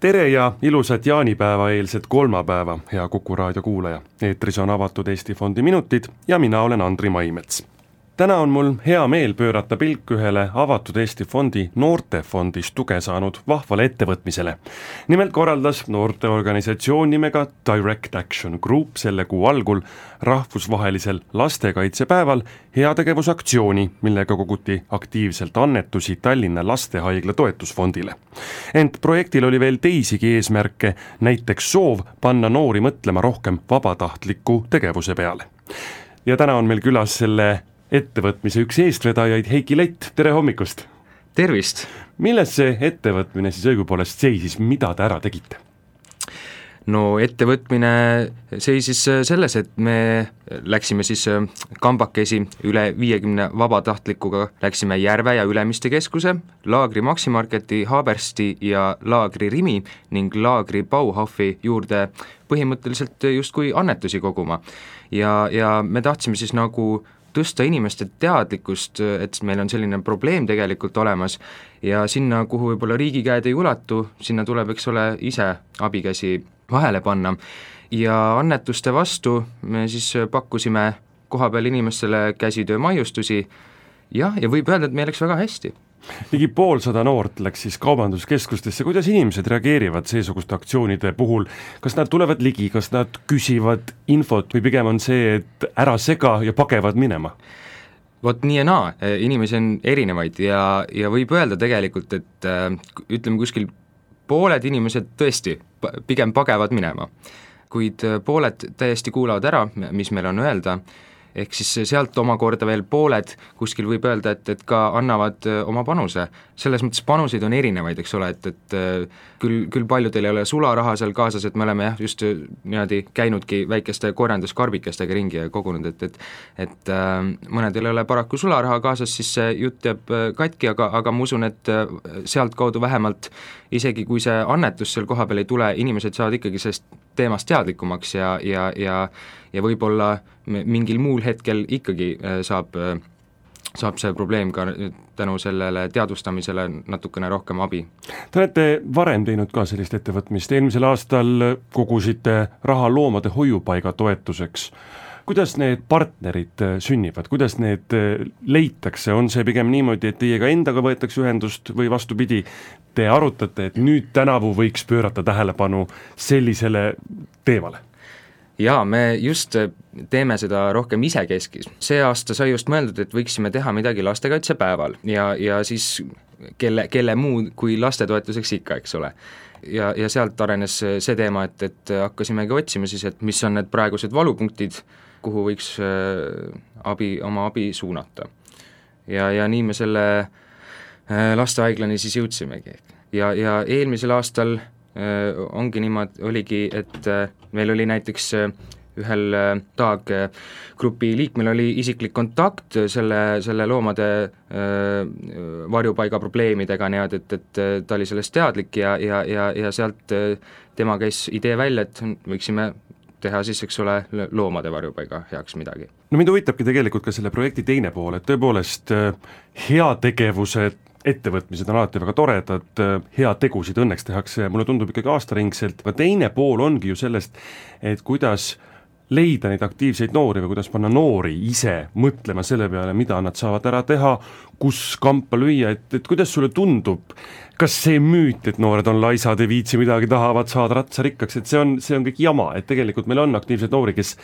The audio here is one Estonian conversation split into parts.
Tere ja ilusat jaanipäeva eelset kolmapäeva, hea Kuku raadio kuulaja. Eetris on avatud Eesti Fondi minutid ja mina olen Andri Maimets. Täna on mul hea meel pöörata pilk ühele avatud Eesti Fondi noortefondist tuge saanud vahvale ettevõtmisele. Nimelt korraldas noorteorganisatsioon nimega Direct Action Group selle kuu algul rahvusvahelisel lastekaitsepäeval heategevusaktsiooni, millega koguti aktiivselt annetusi Tallinna Lastehaigla toetusfondile. Ent projektil oli veel teisigi eesmärke, näiteks soov panna noori mõtlema rohkem vabatahtliku tegevuse peale. Ja täna on meil külas selle ettevõtmise üks eestvedajaid Heiki Lett, tere hommikust! Tervist! Milles see ettevõtmine siis õigupoolest seisis, mida te ära tegite? No ettevõtmine seisis selles, et me läksime siis kambakesi üle 50 vabatahtlikuga, läksime Järve ja Ülemiste keskuse, Laagri Maximarketi, Haabersti ja Laagri Rimi ning Laagri Bauhofi juurde põhimõtteliselt justkui annetusi koguma. Ja me tahtsime siis nagu tõsta inimeste teadlikkust, et meil on selline probleem tegelikult olemas ja sinna, kuhu võib-olla riigi käed ei ulatu, sinna tuleb, eks ole, ise abikäsi vahele panna. Ja annetuste vastu me siis pakkusime kohapeal inimestele käsitöö maiustusi ja võib öelda, et meil läks väga hästi. Ligi 150 noort läks siis kaubanduskeskustesse, kuidas inimesed reageerivad seesuguste aktsioonide puhul, kas nad tulevad ligi, kas nad küsivad infot või pigem on see, et ära sega ja pagevad minema? Vot nii ja naa, inimesi on erinevaid ja võib öelda tegelikult, et ütleme kuskil pooled inimesed tõesti pigem pagevad minema, kuid pooled täiesti kuulavad ära, mis meil on öelda, ehk siis sealt omakorda veel pooled kuskil võib öelda, et ka annavad oma panuse. Selles mõttes panuseid on erinevaid, eks ole, et küll paljudel ei ole sularaha seal kaasas, et me oleme just niimoodi käinudki väikeste korjanduskarbikestega ringi ja kogunud, et mõnedel ei ole paraku sularaha kaasas, siis see jutt jääb katki, aga ma usun, et sealt kaudu vähemalt isegi kui see annetus seal kohapeal ei tule, inimesed saavad ikkagi sellest teemast teadlikumaks ja võib-olla mingil muul hetkel ikkagi saab see probleem ka tänu sellele teadvustamisele natukene rohkem abi. Te olete varem teinud ka sellist ettevõtmist, eelmisel aastal kogusite raha loomade hoiupaiga toetuseks. Kuidas need partnerid sünnivad, kuidas need leitakse, on see pigem niimoodi, et teiega endaga võetakse ühendust või vastupidi, te arutate, et nüüd tänavu võiks pöörata tähelepanu sellisele teemale? Jaa, me just teeme seda rohkem isekeskis. See aasta sai just mõeldud, et võiksime teha midagi lastekaitsepäeval ja siis kelle muu kui lastetoetuseks ikka, eks ole. Ja sealt arenes see teema, et hakkasimegi otsima siis, et mis on need praegused valupunktid, kuhu võiks oma abi suunata. Ja nii me selle lastehaiglani siis jõudsimegi. Ja eelmisel aastal oligi, et meil oli näiteks ühel taggrupi liikmel oli isiklik kontakt selle loomade varjupaiga probleemidega, et ta oli sellest teadlik ja sealt tema käis idee välja, et võiksime teha siis, eks ole, loomade varjupaiga heaks midagi. No mind huvitabki tegelikult ka selle projekti teine pool, et tõepoolest heategevused ettevõtmised on alati väga toredad, hea tegusid õnneks tehakse, mulle tundub ikkagi aastaringselt, aga teine pool ongi ju sellest, et kuidas leida neid aktiivseid noori või kuidas panna noori ise mõtlema selle peale, mida nad saavad ära teha, kus kampa lüüa, et kuidas sulle tundub, kas see müüt, et noored on laisad, ei viitsi midagi, tahavad saada ratsarikkaks, et see on kõik jama, et tegelikult meil on aktiivseid noori, kes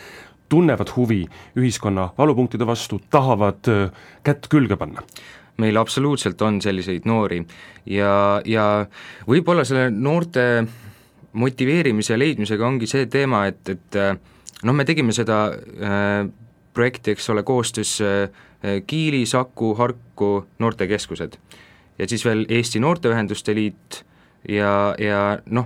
tunnevad huvi ühiskonna valupunktide vastu, tahavad kätt külge panna? Meil absoluutselt on selliseid noori ja võib-olla selle noorte motiveerimise ja leidmisega ongi see teema, et me tegime seda projekti, eks ole, koostöös Kiili, Saku, Harku noortekeskused ja siis veel Eesti Noorteühenduste Liit ja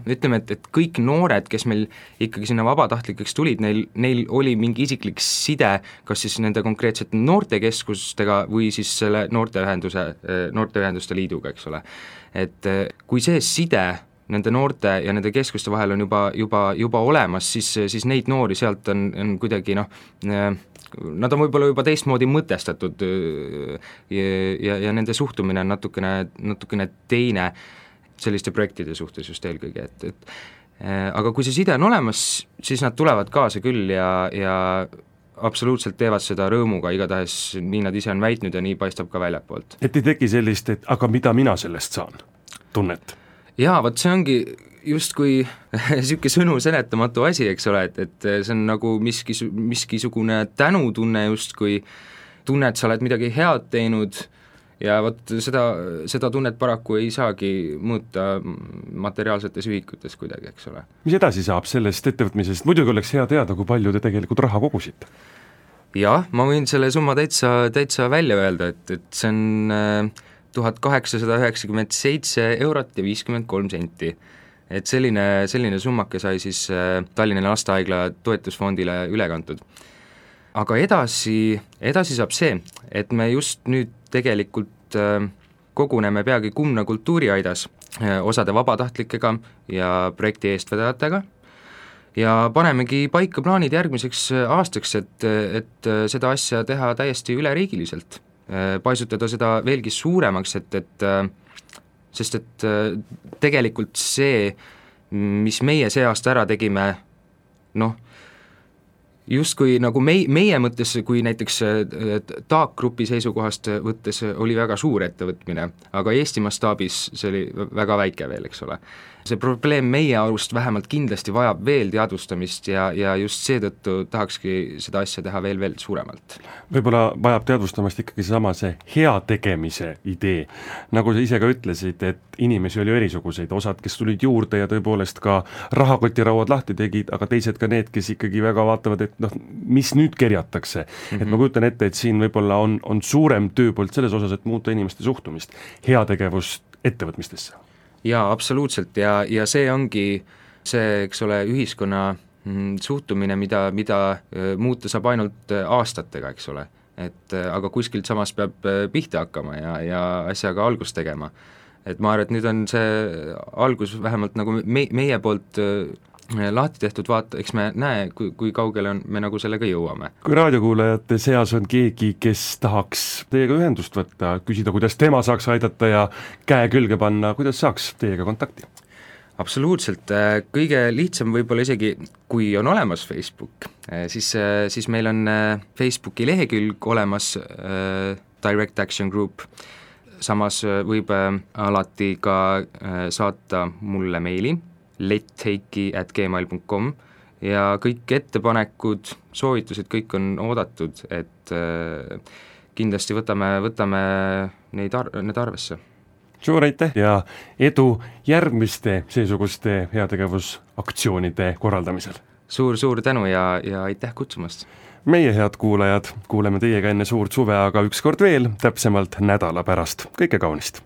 ütleme, et kõik noored, kes meil ikkagi sinna vabatahtlikeks tulid, neil oli mingi isiklik side, kas siis nende konkreetsete noortekeskustega või siis selle noorteühenduste liiduga, eks ole. Et kui see side nende noorte ja nende keskuste vahel on juba olemas, siis neid noori sealt on kuidagi nad on võib-olla juba teistmoodi mõtestatud ja nende suhtumine on natukene teine. selliste projektide suhtes just eelkõige, et aga kui see side on olemas, siis nad tulevad kaasa küll ja absoluutselt teevad seda rõõmuga, igatahes nii nad ise on väitnud ja nii paistab ka väljapoolt. Et ei teki sellist, et aga mida mina sellest saan, tunnet? Jaa, vot see ongi justkui niisugune sõnu seletamatu asi, eks ole, et see on nagu miskisugune tänutunne justkui, tunne, et sa oled midagi head teinud ja vot seda tunnet paraku ei saagi muuta materiaalsetes ühikutes kuidagi, eks ole. Mis edasi saab sellest ettevõtmisest? Muidugi oleks hea teada, kui palju te tegelikult raha kogusite. Jah, ma võin selle summa täitsa välja öelda, et see on 1897 eurot ja 53 senti. Et selline summake sai siis Tallinna Lastehaigla toetusfondile üle kantud. Aga edasi saab see, et me just nüüd tegelikult koguneme peagi Kumna kultuuriaidas osade vabatahtlikega ja projekti eestvedajatega ja panemegi paika plaanid järgmiseks aastaks, et seda asja teha täiesti üleriigiliselt, paisutada seda veelgi suuremaks, sest tegelikult see, mis meie see aasta ära tegime, justkui nagu meie mõttes, kui näiteks TAAK grupi seisukohast võttes oli väga suur ettevõtmine, aga Eesti mastaabis see oli väga väike veel, eks ole. See probleem meie arust vähemalt kindlasti vajab veel teadvustamist ja just seetõttu tahakski seda asja teha veel suuremalt. Võib-olla vajab teadvustamist ikkagi see hea tegemise idee. Nagu sa ise ka ütlesid, et inimesi oli erisuguseid, osad, kes tulid juurde ja tõepoolest ka rahakotirauad lahti tegid, aga teised ka need, kes ikkagi väga vaatavad, et mis nüüd kerjatakse. Et ma kujutan ette, et siin võib-olla on suurem tööpoolt selles osas, et muuta inimeste suhtumist, heategevust ettevõtmistesse. Jaa, absoluutselt ja see ongi see, eks ole, ühiskonna suhtumine, mida muuta saab ainult aastatega, eks ole. Aga kuskilt samas peab pihta hakkama ja asjaga algust tegema. Et ma arvan, et nüüd on see algus vähemalt nagu meie poolt lahti tehtud, vaata, eks me näe, kui kaugele me nagu sellega jõuame. Kui raadiokuulajate seas on keegi, kes tahaks teiega ühendust võtta, küsida, kuidas tema saaks aidata ja käe külge panna, kuidas saaks teiega kontakti? Absoluutselt, kõige lihtsam võib-olla isegi, kui on olemas Facebook, siis meil on Facebooki lehekülg olemas Direct Action Group, samas võib alati ka saata mulle meili letteiki@gmail.com ja kõik ettepanekud, soovitused, kõik on oodatud, et kindlasti võtame need arvesse. Suur aitäh ja edu järgmiste seesuguste heategevusaktsioonide korraldamisel. Suur tänu ja aitäh kutsumast. Meie head kuulajad, kuuleme teiega enne suurt suve, aga ükskord veel, täpsemalt nädala pärast. Kõike kaunist!